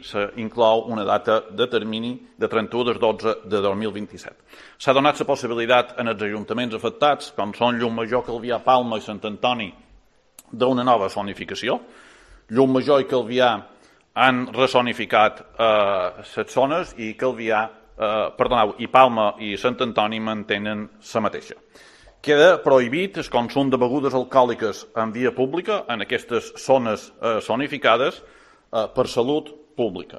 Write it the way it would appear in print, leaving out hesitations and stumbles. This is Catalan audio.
s'inclou una data de termini de 31/12/2027. S'ha donat la possibilitat en els ajuntaments afectats, com són Llucmajor, Calvià, Palma i Sant Antoni, d'una nova zonificació. Llucmajor i Calvià han rezonificat les zones i Palma i Sant Antoni mantenen la mateixa. Queda prohibit el consum de begudes alcohòliques en via pública en aquestes zones zonificades per salut pública.